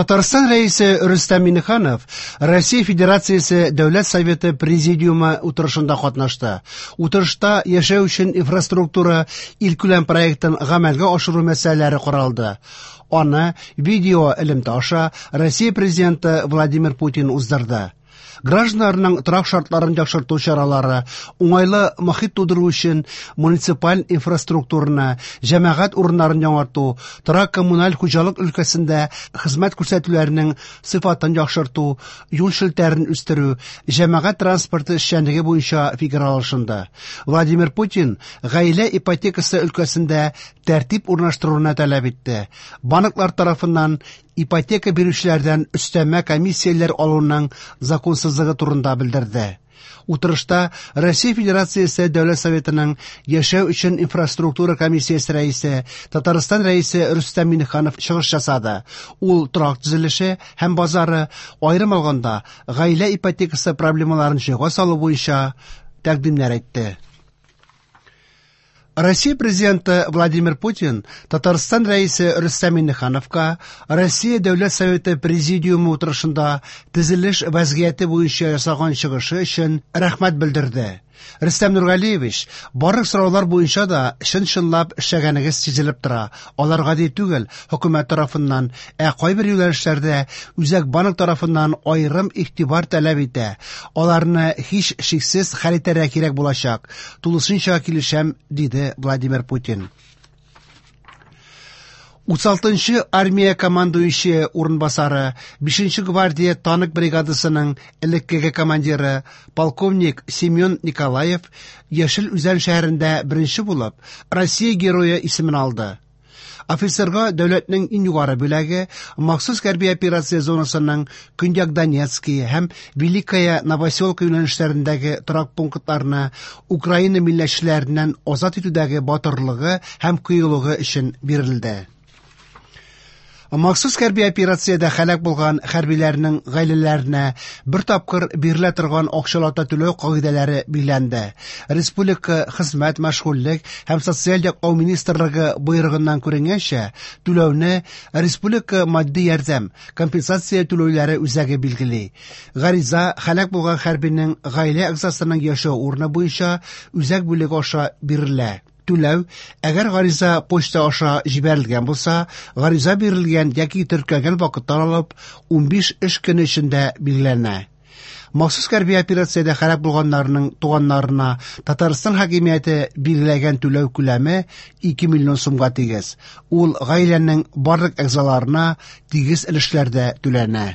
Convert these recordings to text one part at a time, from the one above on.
Татарстан Рәисе Рөстәм Миңнеханов Россия Федерациясе Дәүләт Советы Президиумы утырышында катнашты. Утырышта яшәү өчен инфраструктура илкүләм проектын гамәлгә ашыру мәсьәләләре каралды. Аны видео элемтә аша Россия Президенты Владимир Путин уздырды. Гражданнарның торак шартларын яхшырту чаралары, уңайлы мохит тудыру өчен муниципаль инфраструктураны, җәмәгать урыннарын яңарту, торак-коммуналь хуҗалык өлкәсендә хезмәт күрсәтүләрнең сыйфатын яхшырту, юл челтәрен үстерү, җәмәгать транспорты эшчәнлеге буенча фикер алышынды. Владимир Путин гаилә ипотекасы өлкәсендә тәртип урнаштыруны таләп итте. Банклар тарафыннан ипотека бирүчеләрдән өстәмә комиссияләр алуның законсызлыгы турында белдерде. Утырышта Россия Федерациясе Дәүләт Советының Яшәү өчен инфраструктура комиссиясе рәисе, Татарстан Рәисе Рөстәм Миңнеханов чыгыш ясады. Ул торак төзелеше һәм базары, аерым алганда, гаилә ипотекасы проблемаларын җайга салу буенча тәкъдимнәр әйтте. Россия Президенты Владимир Путин Татарстан Рәисе Рөстәм Миңнехановка Россия Дәүләт Советы Президиумы утырышында төзелеш вәзгыяте буенча ясаган чыгышы өчен рәхмәт белдерде. Рөстәм Нургалиевич, барлык сораулар буенча да чын-чынлап эшләгәнегез сизелеп тора. Алар гади түгел, хөкүмәт тарафыннан, ә кайбер юнәлешләрдә Үзәк банк тарафыннан аерым игътибар таләп итә. Аларны һич шиксез хәл итәргә кирәк булачак. Тулысынча килешәм, диде Владимир Путин. 36-нчы армия командующие урынбасары, 5-нче гвардия танк бригадасының элеккеге командиры, полковник Семен Николаев Яшел Үзән шәһәрендә беренче булып Россия Герое исемен алды. Офицерга дәүләтнең иң югары бүләге махсус хәрби операция зонасының Көньяк Донецкий һәм Великая Новоселка юнәлешләрендәге торак пунктларны Украина милләтчеләреннән азат итүдәге батырлыгы һәм кыюлыгы өчен бирелде. Махсус хәрби операциядә һәлак булган хәрбиләрнең гаиләләренә бер тапкыр бирелә торган акчалата түләү кагыйдәләре билгеләнде. Республика Хезмәт, мәшгульлек һәм социаль яклау министрлыгы боерыгыннан күренгәнчә, түләүне республика матди ярдәм, компенсация түләүләре үзәге билгели. Гариза һәлак булган хәрбинең гаилә әгъзасының яшәү урыны буенча үзәк бүлеге аша бирелә. Түләү, әгәр гариза почта аша җибәрелгән булса, гариза бирелгән яки теркәлгән вакыттан алып 15 эш көне эчендә билгеләнә. Махсус хәрби операциядә һәлак булганнарның туганнарына Татарстан хакимияте билгеләгән түләү күләме 2 миллион сумга тигез. Ул гаиләнең барлык әгъзаларына тигез өлешләрдә түләнә.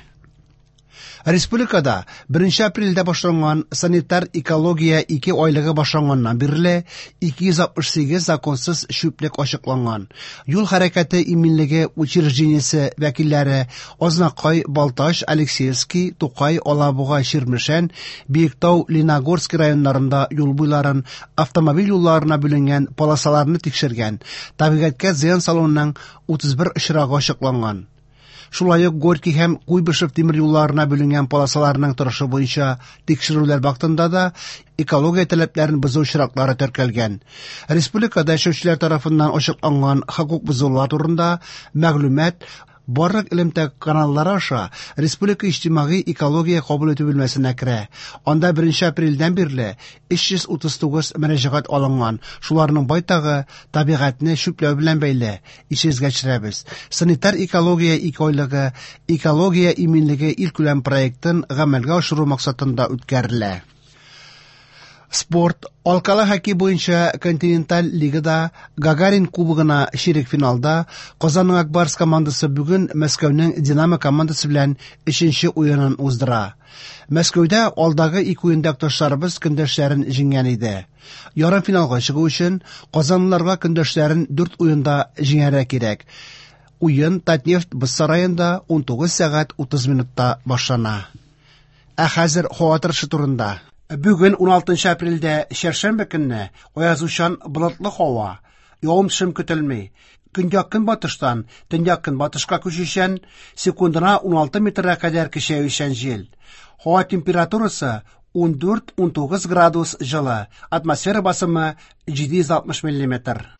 Республикада 1 апрельдә башланган санитар-экология ике айлыгы башланганнан бирле 268 законсыз чүплек ачыкланган. Юл хәрәкәте иминлеге учреждениесе вәкилләре Азнакай, Балтач, Алексеевский, Тукай, Алабуга, Чирмешән, Биектау, Леногорский районнарында юл буйларын, автомобиль юлларына бүленгән полосаларны тикшергән. Табигатькә зыян салуның 31 очрагы ачыкланган. Шулай ук Горький һәм Куйбышев тимер юлларына бүленгән полосаларның торышы буенча тикшерүләр вакытында да экология таләпләрен бозу очраклары теркәлгән. Республикада яшәүчеләр тарафыннан ачыкланган хокук бозулар турында мәгълүмат барлык элемтә каналлары аша Республика иҗтимагый экология кабул итү бүлмәсенә керә. Анда 1 апрельдән бирле 339 мөрәҗәгать алынган. Шуларның байтагы табигатьне чүпләү белән бәйле. Исегезгә төшерәбез. Санитар экология икеайлыгы Экология иминлеге илкүләм проектын гамәлгә ашыру максатында үткәрелә. Спорт алкалы хоккей буенча континенталь лигада Гагарин кубогына чирек финалда Казанның Ак Барс командасы бүген Мәскәүнең Динамо командасы белән өченче уенын уздыра. Мәскәүдә алдагы ике уенда якташларыбыз көндәшләрен җиңгән иде. Ярымфиналга чыгу өчен казанлыларга көндәшләрен дүрт уенда җиңәргә кирәк. Уен Татнефть боз сараенда 19 сәгать 30 минутта башлана. Ә хәзер һава торышы турында. Бүген 16 апрельдә чәршәмбе көнне аязучан болытлы һава, явым-төшем көтелми. Көньяк-көнбатыштан төньяк-көнбатышка күчүчән, секундына 16 метрга кадәр көчәючән җил. Һава температурасы 14-19 градус җылы, атмосфера басымы 760 миллиметр.